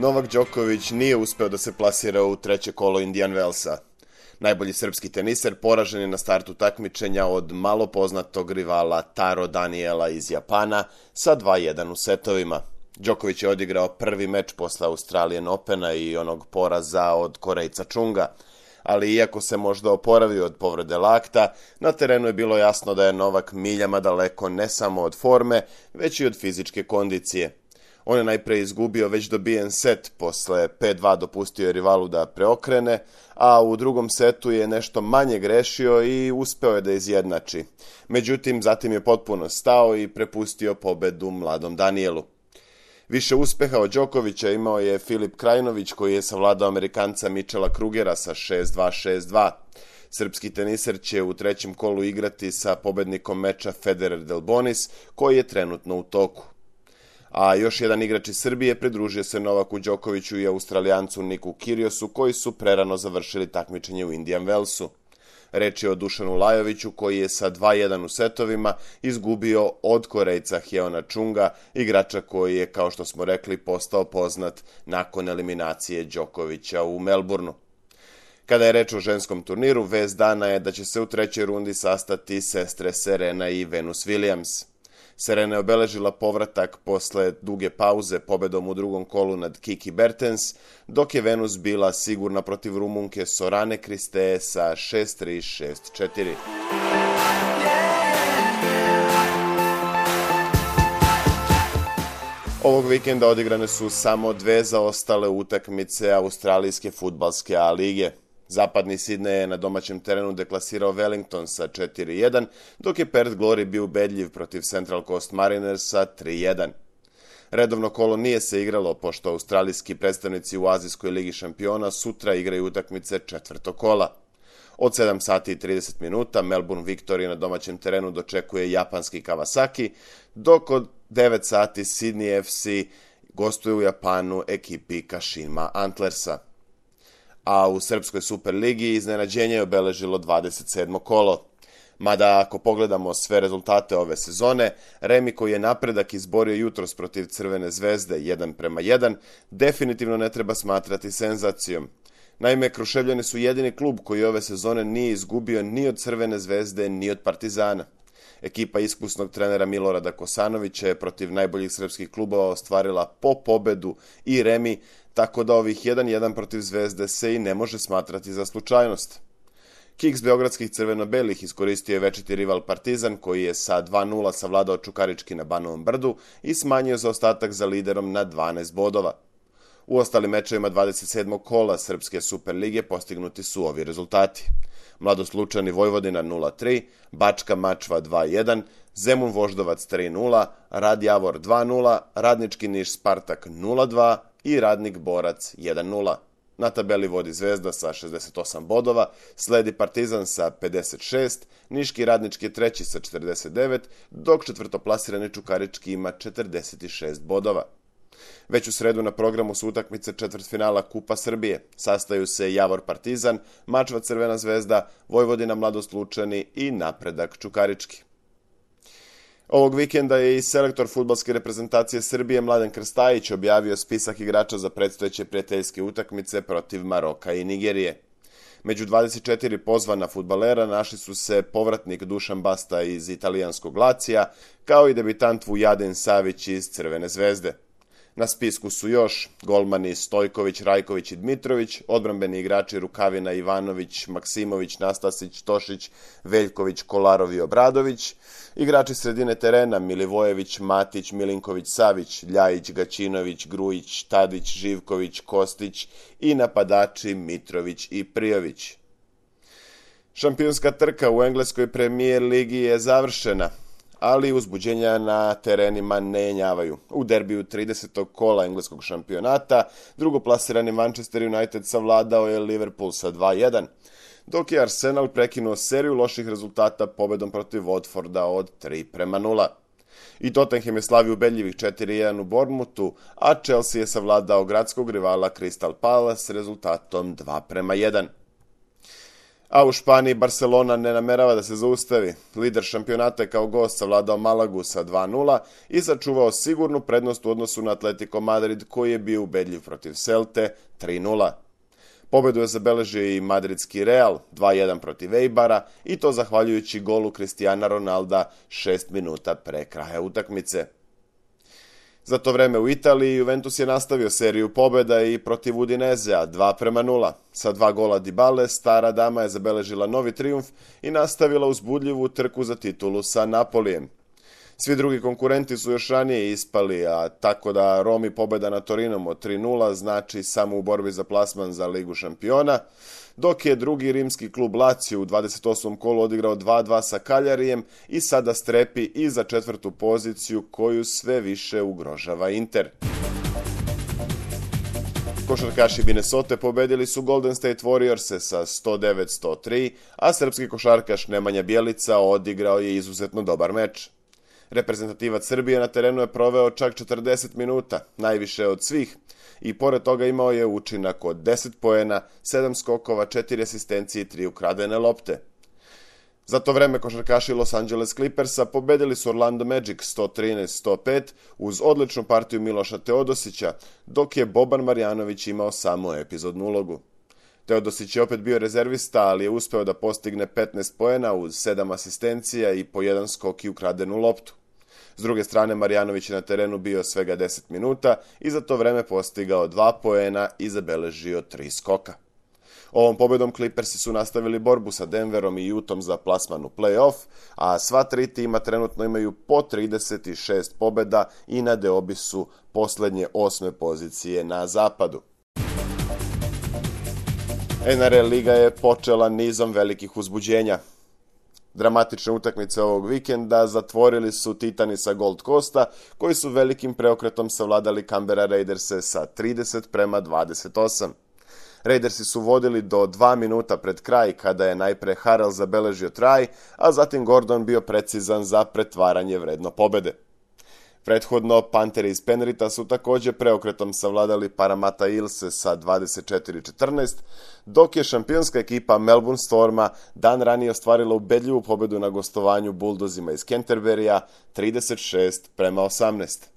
Novak Đoković nije uspeo da se plasira u treće kolo Indian Wellsa. Najbolji srpski teniser poražen je na startu takmičenja od malo poznatog rivala Taro Daniela iz Japana sa 2:1 u setovima. Đoković je odigrao prvi meč posle Australian Opena i onog poraza od Korejca Chunga, ali iako se možda oporavio od povrede lakta, na terenu je bilo jasno da je Novak miljama daleko ne samo od forme, već i od fizičke kondicije. On je najpre izgubio već dobijen set, posle 5:2 dopustio je rivalu da preokrene, a u drugom setu je nešto manje grešio i uspeo je da izjednači. Međutim, zatim je potpuno stao i prepustio pobedu mladom Danielu. Više uspeha od Đokovića imao je Filip Krajinović, koji je savladao Amerikanca Michela Krugera sa 6:2, 6:2. Srpski teniser će u trećem kolu igrati sa pobednikom meča Federer Delbonis, koji je trenutno u toku. A još jedan igrač iz Srbije pridružio se Novaku Đokoviću i Australijancu Niku Kyrgiosu, koji su prerano završili takmičenje u Indian Wellsu. Reč je o Dušanu Lajoviću, koji je sa 2:1 u setovima izgubio od Korejca Hyeona Chunga, igrača koji je, kao što smo rekli, postao poznat nakon eliminacije Đokovića u Melbourneu. Kada je reč o ženskom turniru, vest dana je da će se u trećoj rundi sastati sestre Serena i Venus Williams. Serena je obeležila povratak posle duge pauze pobedom u drugom kolu nad Kiki Bertens, dok je Venus bila sigurna protiv Rumunke Sorane Kristee sa 6:3, 6:4. Ovog vikenda odigrane su samo dve zaostale utakmice australijske fudbalske A lige. Zapadni Sidney je na domaćem terenu deklasirao Wellington sa 4:1, dok je Perth Glory bio ubedljiv protiv Central Coast Mariners sa 3:1. Redovno kolo nije se igralo, pošto australijski predstavnici u Azijskoj ligi šampiona sutra igraju utakmice četvrtog kola. Od 7 sati i 30 minuta Melbourne Victory na domaćem terenu dočekuje japanski Kawasaki, dok od 9 sati Sydney FC gostuje u Japanu ekipi Kashima Antlersa. A u Srpskoj Superligi iznenađenje je obeležilo 27. kolo. Mada ako pogledamo sve rezultate ove sezone, Remi koji je napredak izborio jutros protiv Crvene zvezde 1:1, definitivno ne treba smatrati senzacijom. Naime, Kruševljani su jedini klub koji ove sezone nije izgubio ni od Crvene zvezde, ni od Partizana. Ekipa iskusnog trenera Milorada Kosanovića je protiv najboljih srpskih klubova ostvarila po pobedu i remi, tako da ovih 1:1 protiv Zvezde se i ne može smatrati za slučajnost. Kiks beogradskih crveno-belih iskoristio je večiti rival Partizan, koji je sa 2:0 savladao Čukarički na Banovom Brdu i smanjio zaostatak za liderom na 12 bodova. U ostalim mečevima 27. kola Srpske Superlige postignuti su ovi rezultati. Mladost Lučani Vojvodina 0:3, Bačka Mačva 2:1, Zemun Voždovac 3:0, Rad Javor 2:0, Radnički Niš Spartak 0:2 i Radnik Borac 1:0. Na tabeli vodi Zvezda sa 68 bodova, sledi Partizan sa 56, Niški Radnički je treći sa 49, dok četvrtoplasirani Čukarički ima 46 bodova. Već u sredu na programu su utakmice četvrtfinala Kupa Srbije. Sastaju se Javor Partizan, Mačva Crvena zvezda, Vojvodina Mladost Lučani i Napredak Čukarički. Ovog vikenda je i selektor fudbalske reprezentacije Srbije Mladen Krstajić objavio spisak igrača za predstojeće prijateljske utakmice protiv Maroka i Nigerije. Među 24 pozvana fudbalera našli su se povratnik Dušan Basta iz italijanskog Lacija, kao i debitant Vujadin Savić iz Crvene zvezde. Na spisku su još golmani Stojković, Rajković i Dmitrović, odbrambeni igrači Rukavina, Ivanović, Maksimović, Nastasić, Tošić, Veljković, Kolarov i Obradović, igrači sredine terena Milivojević, Matić, Milinković, Savić, Ljajić, Gaćinović, Grujić, Tadić, Živković, Kostić i napadači Mitrović i Prijović. Šampionska trka u engleskoj premijer ligi je završena, ali uzbuđenja na terenima ne jenjavaju. U derbiju 30. kola engleskog šampionata drugoplasirani Manchester United savladao je Liverpool sa 2:1, dok je Arsenal prekinuo seriju loših rezultata pobedom protiv Watforda od 3:0. I Tottenham je slavio ubedljivih 4:1 u Bournemouthu, a Chelsea je savladao gradskog rivala Crystal Palace s rezultatom 2:1. A u Španiji Barcelona ne namerava da se zaustavi. Lider šampionata je kao gost savladao Malagu sa 2:0 i sačuvao sigurnu prednost u odnosu na Atletico Madrid koji je bio ubedljiv protiv Celte 3:0. Pobedu je zabeležio i madridski Real 2:1 protiv Eibara i to zahvaljujući golu Cristiana Ronalda 6 minuta pre kraja utakmice. Za to vreme u Italiji Juventus je nastavio seriju pobjeda i protiv Udinezea 2:0. Sa 2 gola Dybale, stara dama je zabeležila novi trijumf i nastavila uzbudljivu trku za titulu sa Napolijem. Svi drugi konkurenti su još ranije ispali, a tako da Romi pobjeda na Torinom od 3:0 znači samo u borbi za plasman za Ligu šampiona, dok je drugi rimski klub Lazio u 28. kolu odigrao 2:2 sa Cagliarijem i sada strepi i za 4. poziciju koju sve više ugrožava Inter. Košarkaši Minnesote pobedili su Golden State Warriors sa 109-103, a srpski košarkaš Nemanja Bjelica odigrao je izuzetno dobar meč. Reprezentativac Srbije na terenu je proveo čak 40 minuta, najviše od svih, i pored toga imao je učinak od 10 poena, 7 skokova, 4 asistencije i 3 ukradene lopte. Za to vreme košarkaši Los Angeles Clippersa pobedili su Orlando Magic 113-105 uz odličnu partiju Miloša Teodosića, dok je Boban Marjanović imao samo epizodnu ulogu. Teodosić je opet bio rezervista, ali je uspeo da postigne 15 poena uz 7 asistencija i po 1 skok i ukradenu loptu. S druge strane, Marjanović je na terenu bio svega 10 minuta i za to vreme postigao 2 poena i zabeležio 3 skoka. Ovom pobedom Clippersi su nastavili borbu sa Denverom i Utahom za plasman u play-off, a sva 3 tima trenutno imaju po 36 pobeda i na deobi su poslednje 8. pozicije na zapadu. NRL liga je počela nizom velikih uzbuđenja. Dramatične utakmice ovog vikenda zatvorili su Titani sa Gold Coasta, koji su velikim preokretom savladali Canberra Raiderse sa 30-28. Raidersi su vodili do 2 minuta pred kraj, kada je najpre Harrell zabeležio traj, a zatim Gordon bio precizan za pretvaranje vredno pobede. Prethodno, Pantheri iz Penrita su također preokretom savladali Parramatta Eelse sa 24-14, dok je šampionska ekipa Melbourne Storma dan ranije ostvarila ubedljivu pobedu na gostovanju Bulldozima iz Canterburya 36-18.